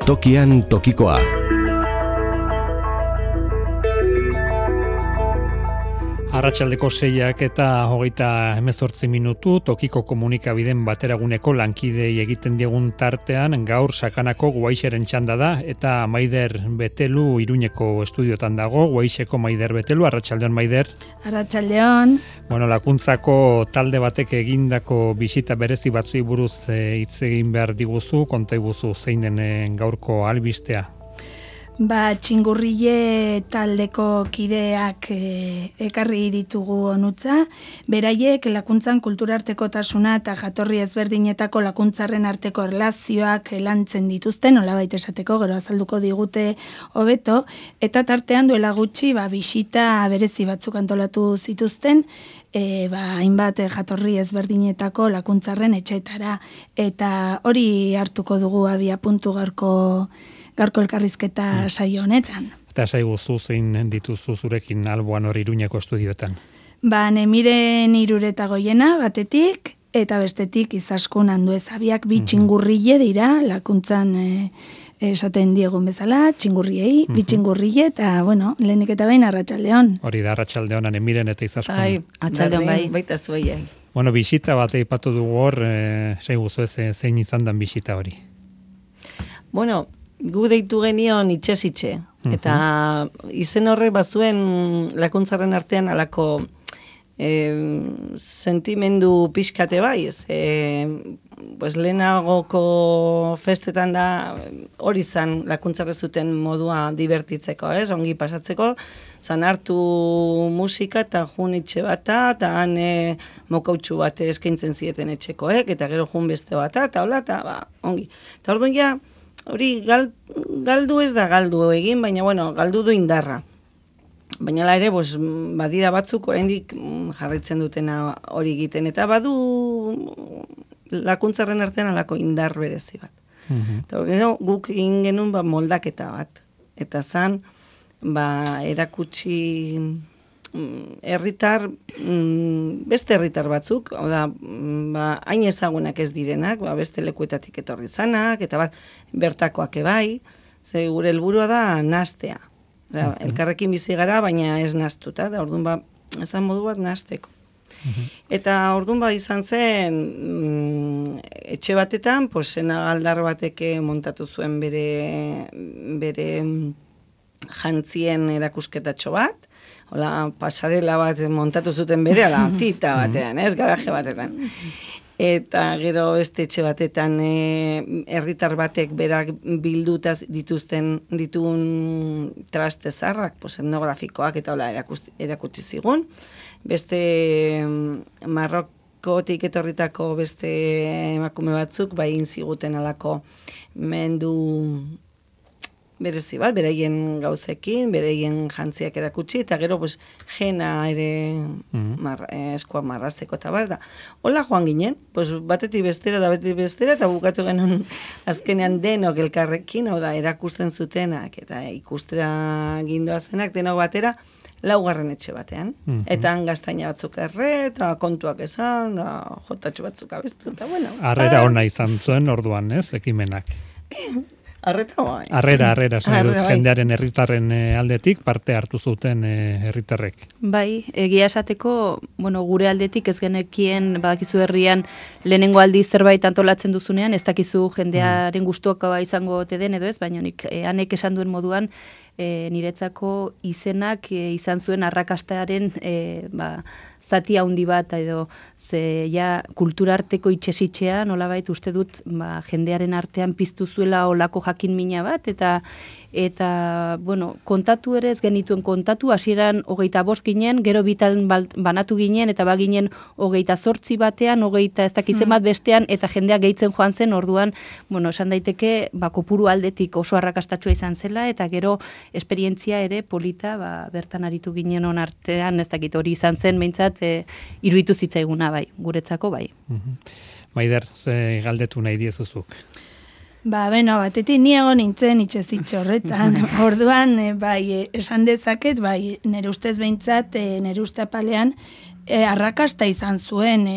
Tokian tokikoa. Arratsaldeko 6 eta 38 minutu, tokiko komunikabideen bateraguneko lankidei egiten diegun tartean, gaur sakanako Guaixeren txanda da, eta Maider Betelu Iruñeko estudiotan dago, Guaixeko Maider Betelu, arratsaldeon Maider. Arratsaldeon. Bueno, lakuntzako talde batek egindako bisita berezi batzui buruz hitz egin behar diguzu, konta iguzu zein den gaurko albistea. Txingurrile taldeko kideak ekarri ditugu onutza, beraiek lakuntzan kulturartekotasuna eta jatorri ezberdinetako lakuntzarren arteko erlazioak lantzen dituzten, nolabait esateko, gero azalduko digute hobeto, eta tartean duela gutxi bisita berezi batzuk antolatu zituzten, hainbat jatorri ezberdinetako lakuntzarren etxetara, eta hori hartuko dugu abiapuntu gaurko elkarrizketa saio honetan. Eta saiguzu zein dituzu zurekin alboan hori Iruñeko estudioetan? Nemiren Iruretagoiena batetik, eta bestetik Izaskun Anduezabiak bi txingurrile dira, lakuntzan esaten diegun bezala, txingurriei, bi txingurrile, eta, lehenik eta behin arratsaldeon. Hori da, arratsaldeon, Nemiren eta Izaskun. Arratsaldeon bai. Baita zuei. Bisita bat aipatu dugu hor, saiguzu zein izan dan bisita hori? Gu deitu genion itxez-itxe, eta izen horrek bazuen lakuntzarren artean alako sentimendu pixkate bai, lehenagoko festetan da hori zan lakuntzarre zuten modua divertitzeko, ongi pasatzeko, zan hartu musika eta jun itxe bata, eta han mokautxu bat eskaintzen zieten etxekoek, eta gero jun beste bata, eta hola, eta ongi. Eta orduan ja, hori galdu ez da galdu egin, baina galdu du indarra. Baina ere, badira batzuk oraindik jarraitzen dutena hori egiten, eta badu lakuntzarren artean alako indar berezi bat. Eta guk egin genuen moldaketa bat. Eta zan, erakutsi beste herritar batzuk, hain ezagunak ez direnak, beste lekuetatik etorri zanak, eta bertakoak ebai, ze gure helburua da nastea. Elkarrekin bizi gara, baina ez nastuta, da orduan ezan modu bat nasteko. Eta orduan izan zen, etxe batetan, senagaldar batek montatu zuen bere jantzien erakusketatxo bat, pasarela bat montatu zuten bere, zita batean, garaje batetan. Eta gero beste etxe batetan herritar batek berak bilduta dituen traste zarrak, etnografikoak eta erakutsi zigun. Beste Marrokotik etorritako beste emakume batzuk, egin ziguten alako mendu berezi bat, bereien gauzekin, bereien jantziak erakutsi, eta gero jena ere eskua marrazteko eta da. Hola joan ginen, batetik bestera da batetik bestera, eta bukatu genuen azkenean denok elkarrekin, erakusten zutenak, eta ikustera gindoazenak denok batera, 4. etxe batean. Eta han gaztaina batzuk eta kontuak esan, jotatxo batzuk abestu, eta Arrera ona izan zuen orduan, ekimenak. Arreta bai. Arrera, jendearen herritarren aldetik parte hartu zuten herritarrek. Bai, egia esateko, gure aldetik ez genekien, badakizu herrian lehenengo aldi zerbait antolatzen duzunean, ez dakizu jendearen gustuak izango te den edo ez, baina hanek esan duen moduan, niretzako izenak izan zuen arrakastaren zati handi bat edo kulturarteko itxesitxea nolabait uste dut jendearen artean piztu zuela olako jakin mina bat eta kontatu ere ez genituen kontatu, hasieran 25 ginen, gero bitan banatu ginen eta baginen 28 batean, 20 ez dakizen bat bestean eta jendea gehitzen joan zen, orduan, esan daiteke kopuru aldetik oso arrakastatsua izan zela eta gero esperientzia ere polita bertan aritu ginen on artean, ez dakit hori izan zen, behintzat iruditu zitzaiguna bai, guretzako bai. Maider, ze galdetu nahi diezuzuk? Batetik ni egon nintzen itxezitxe horretan. Orduan, esan dezaket, nire ustez behintzat, nire uste apalean, arrakasta izan zuen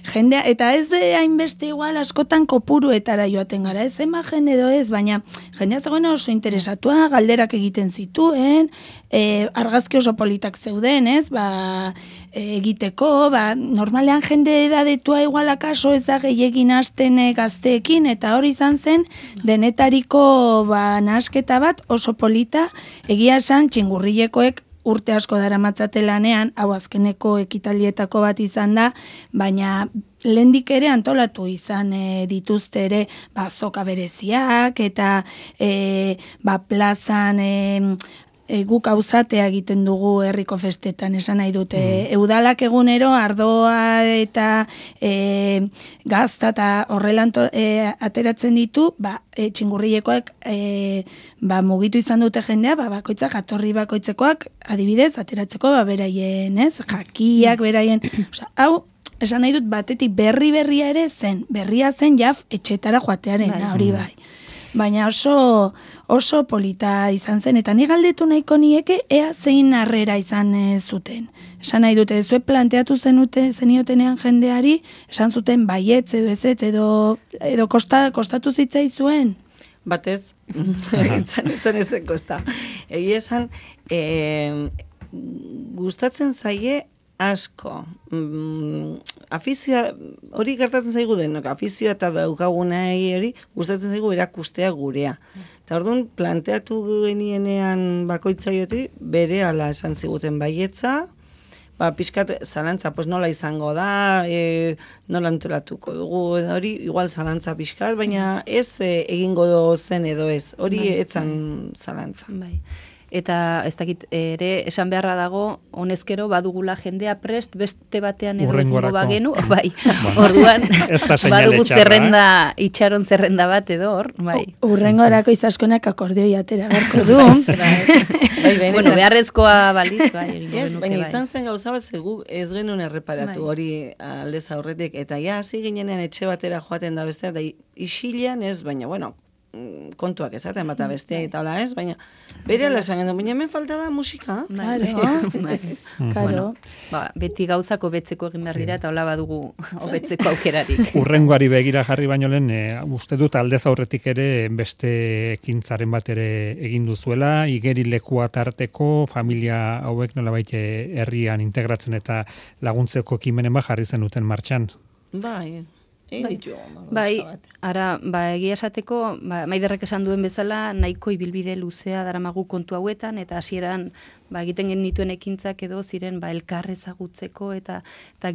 jendea, eta ez hainbeste igual askotan kopuruetara joaten gara, ez emagen edo ez, baina jendea zegoen oso interesatua, galderak egiten zituen, argazki oso politak zeuden, ez, egiteko, normalean jende edadetua igual akaso ez da gehiagin hasten gazteekin, eta hori izan zen denetariko nahasketa bat oso polita, egia esan txingurrilekoek urte asko daramatzate lanean, hau azkeneko ekitalietako bat izan da, baina lehendik ere antolatu izan dituzte ere azoka bereziak eta plazan guk auzatea egiten dugu herriko festetan, esan nahi dute. Udalak egunero ardoa eta gazta eta horrela ateratzen ditu, txingurrilekoak mugitu izan dute jendea, bakoitza jatorri bakoitzekoak adibidez ateratzeko beraien, ez? Jakiak beraien, hau esan nahi dut batetik berria ere zen, berria zen jaf etxetara joatearen, hori bai. Baina oso polita izan zen, eta ni galdetu nahiko nieke ea zein harrera izan zuten. Esan nahi dute, zuek planteatu zeniotenean jendeari, esan zuten baietz edo ez edo kostatu zitzaizuen? Batez, etzen ezen kosta. Egia esan, gustatzen zaie asko. Afizioa, hori gertatzen zaigu denok, afizioa eta daukagunai hori gustatzen zaigu erakustea gurea. Eta orduan, planteatu genienean bakoitzaioti, bere ala esan ziguten baietza, pixkat zalantza, nola izango da, nola antolatuko dugu, hori igual zalantza pixkat, baina ez egingo zen edo ez, hori etzan zalantza. Bai. Eta ez dakit ere esan beharra dago honezkero badugula jendea prest beste batean edo egingo bagenu, bai. Orduan badugu zerrenda, itxaron zerrenda bat edo hor, bai. Urrengorako izaskonak akordeoi atera beharko du. Bueno, beharrezkoa balitz, bai, egingo genuke, bai. Baina izan zen gauza bat zegu ez genuen erreparatu hori aldez aurretik, eta hasi ginenean etxe batera joaten da bestea, da isilean ez, baina, bueno, kontuak esaten bata bestea eta hola ez, baina bere ala esan gendu, baina hemen falta da musika. Claro. Beti gauzako betzeko egin behar dira eta hola badugu hobetzeko aukerarik. Urrengoari begira jarri baino lehen, uste dut aldez aurretik ere beste ekintzaren bat ere egin duzuela, igerilekua tarteko, familia hauek nolabait herrian integratzen eta laguntzeko ekimenen bat jarri zenuten martxan. Bai, ara, egia esateko, Maiderrek esan duen bezala, nahiko ibilbide luzea daramagu kontu hauetan, eta hasieran egiten genituen ekintzak edo ziren elkar ezagutzeko, eta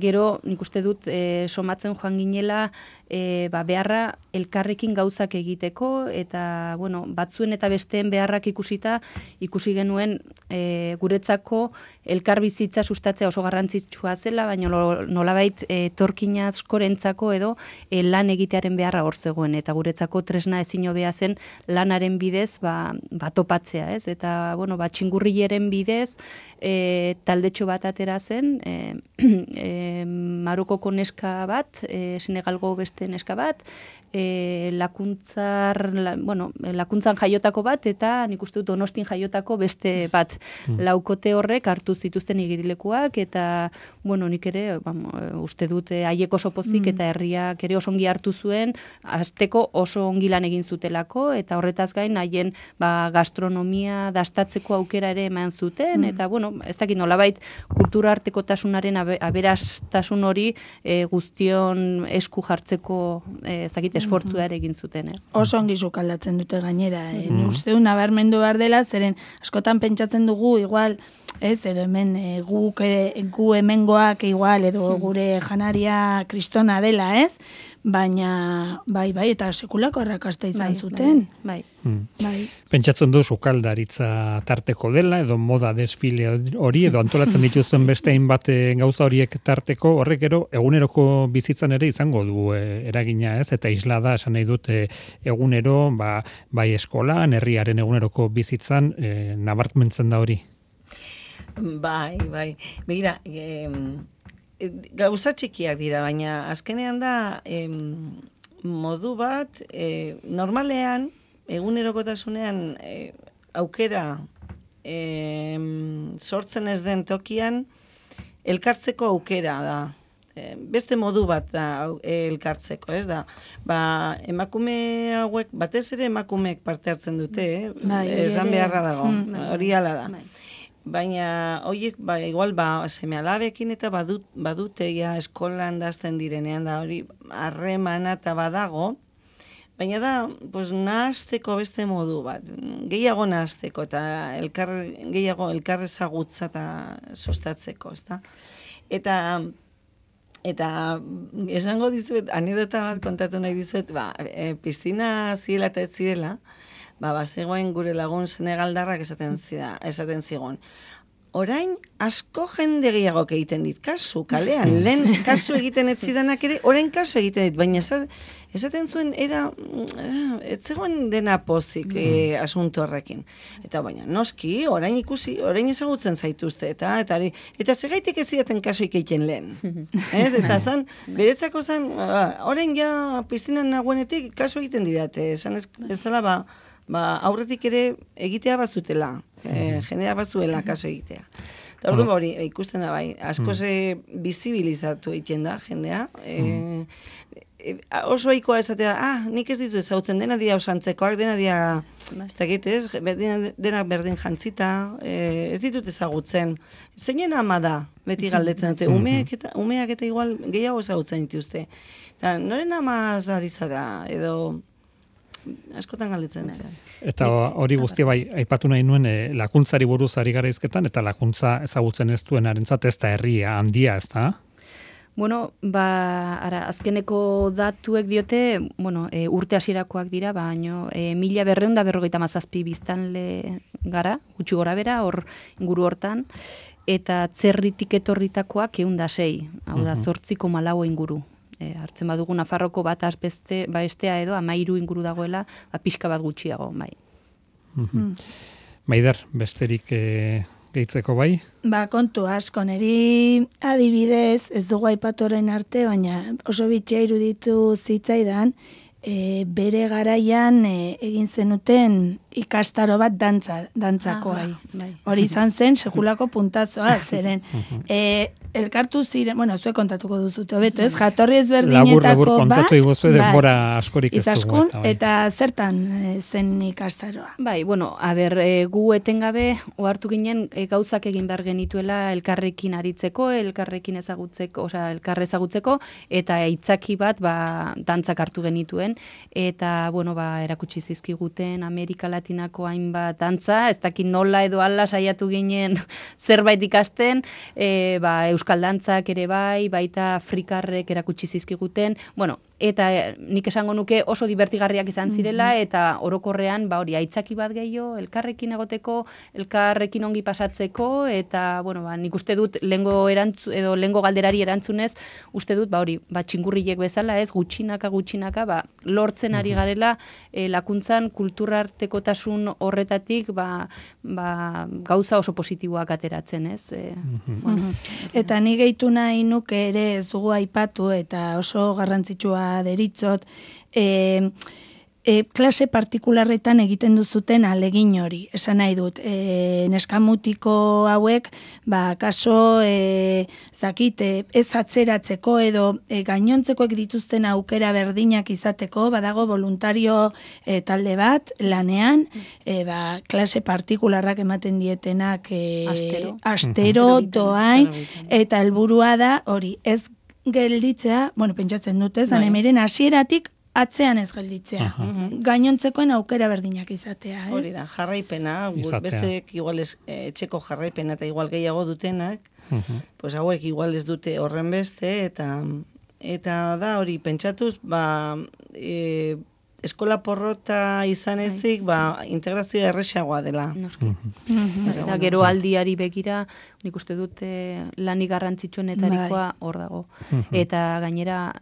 gero nik uste dut somatzen joan ginela beharra elkarrekin gauzak egiteko, eta batzuen eta besteen beharrak ikusi genuen guretzako elkar bizitza sustatzea oso garrantzitsua zela, baina nolabait etorkina askorentzako edo lan egitearen beharra hor zegoen, eta guretzako tresna ezin hobea zen lanaren bidez topatzea, ez? Eta txingurrileren bidez taldetxo bat atera zen, Marokoko neska bat, Senegalgo beste neska bat, lakuntzan jaiotako bat, eta nik uste dut Donostin jaiotako beste bat. Laukote horrek hartu zituzten igerilekuak, eta nik ere uste dut haiek oso pozik eta herriak ere oso ongi hartu zuen, hasteko oso ongi lan egin zutelako, eta horretaz gain haien gastronomia dastatzeko aukera ere eman zuten, eta ez dakit nolabait kultura artekotasunaren aberastasun hori guztion esku jartzeko ez dakit esfortzua ere egin zuten, ez? Oso ongi sukaldatzen dute gainera. Uste du nabarmendu behar dela, zeren askotan pentsatzen dugu igual, ez, edo hemen gu hemengoak igual, edo gure janaria kristona dela, ez? Baina, bai, eta sekulako arrakasta izan zuten. Bai. Pentsatzen du sukaldaritza tarteko dela, edo moda desfile hori, edo antolatzen dituzten beste hainbat gauza horiek tarteko, horrek gero eguneroko bizitzan ere izango du eragina, ez? Eta isla da, esan nahi dut, egunero, bai eskolan, herriaren eguneroko bizitzan, nabarmentzen da hori. Bai. Begira, gauza txikiak dira, baina azkenean da modu bat, normalean, egunerokotasunean aukera sortzen ez den tokian, elkartzeko aukera da. Beste modu bat da elkartzeko, ez da. Emakume hauek, batez ere emakumeek parte hartzen dute, esan beharra dago, hori ala da. Baina, horiek, igual, seme-alabekin eta badute ja eskolan dazten direnean, da hori harremana eta badago, baina da, nahazteko beste modu bat, gehiago nahazteko eta gehiago elkarrezagutza eta sustatzeko, ez da. Eta esango dizuet, anedota bat kontatu nahi dizuet, piztina zirela eta ez zirela, bazegoen gure lagun senegaldarrak esaten zigon. Orain asko jende gehiago egiten dit kasu, kalean, lehen kasu egiten ez zidanak ere, orain kasu egiten dit, baina esaten zuen, ez zegoen dena pozik asunto horrekin. Eta baina, noski, orain ezagutzen zaituzte, eta segaitik ez zidaten kasu egiten lehen. Eta beretzako zan, orain ja piztinan nagoenetik kasu egiten didate, esan ez bezala, aurretik ere egitea bazutela, jendea bazuela kaso egitea. Eta orduan hori ikusten da asko bizibilizatu egiten da jendea, oso ohikoa esatea, nik ez ditu ezagutzen, dena dia osantzekoak, dena dia, dena berdin jantzita, ez ditut ezagutzen. Zeinen ama da, beti galdetzen dute, umeak eta igual gehiago ezagutzen dituzte. Eta noren ama zari zara, edo askotan galdetzen dute. Eta hori guztia aipatu nahi nuen lakuntzari buruz ari gara hizketan, eta lakuntza ezagutzen ez duenarentzat ez da herria handia, ez da? Bueno, azkeneko datuek diote, urte hasierakoak dira, baino 1257 biztanle gara, gutxi gora bera, hor inguru hortan, eta atzerritik etorritakoak 106, hau da 8,4 inguru. Hartzen badugu Nafarroko bat bestea edo 13 inguru dagoela, pixka bat gutxiago, bai. Maider, besterik gehitzeko bai? Kontu asko, niri adibidez, ez dugu aipatoren arte, baina oso bitxia iruditu zitzaidan, bere garaian egin zenuten ikastaro bat dantzakoa. Hori izan zen, sekulako puntazoa, zeren. Elkartu ziren, zuek kontatuko duzute, hobeto, ez? Jatorri ezberdinetako bat. Labur kontatu iguzu, denbora askorik ez dugu. Eta zertan zen ikastaroa? Gu etengabe, ohartu ginen gauzak egin behar genituela elkarrekin aritzeko, elkarrekin ezagutzeko, elkar ezagutzeko, eta aitzaki bat dantzak hartu genituen, eta, erakutsi zizkiguten Amerika Latinako hainbat dantza, ez dakit nola edo ala saiatu ginen zerbait ikasten, euskal dantzak ere baita afrikarrek erakutsi zizkiguten, eta nik esango nuke oso divertigarriak izan zirela, eta orokorrean, hori, aitzaki bat gehiago, elkarrekin egoteko, elkarrekin ongi pasatzeko, eta, nik uste dut, lehengo galderari erantzunez, uste dut, hori, txingurriek bezala, ez, gutxinaka, lortzen ari garela, lakuntzan kulturartekotasun horretatik, gauza oso positiboak ateratzen, ez. Eta ni gehitu nahi nuke ere ez dugu aipatu, eta oso garrantzitsua deritzot, klase partikularretan egiten duzuten alegin hori. Esan nahi dut, neskamutiko hauek, kaso, ez atzeratzeko edo gainontzekoek dituzten aukera berdinak izateko, badago voluntario talde bat, lanean, klase partikularrak ematen dietenak astero, doain, eta helburua da, hori, ez gelditzea, pentsatzen dut ez, danemiren hasieratik atzean ez gelditzea. Gainontzekoen aukera berdinak izatea, ez? Hori da, jarraipena, besteek igual etxeko jarraipena eta igual gehiago dutenak, hauek igual ez dute horren beste, eta da hori pentsatuz, eskola porrota izan ezik, integrazioa erresagoa dela. Gero aldiari begira, nik uste dut lanik garrantzitsuenetarikoa hor dago. Eta gainera,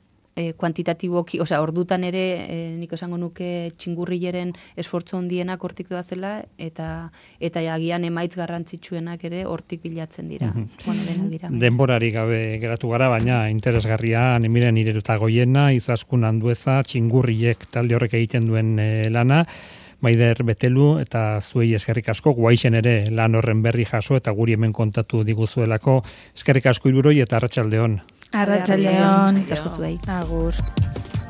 kuantitatiboki, ordutan ere, nik esango nuke txingurrileren esfortzu handienak hortik doazela, eta agian emaitz garrantzitsuenak ere hortik bilatzen dira. Denborari gabe geratu gara, baina interesgarria, Nemiren Irerutagoiena, Izaskun Andueza, txingurriek talde horrek egiten duen lana. Maider Betelu eta zuei eskerrik asko, Guaixen ere lan horren berri jaso eta guri hemen kontatu diguzuelako. Eskerrik asko Hiruroi eta arratsalde on. Arratsalde on. Asko zuei. Agur.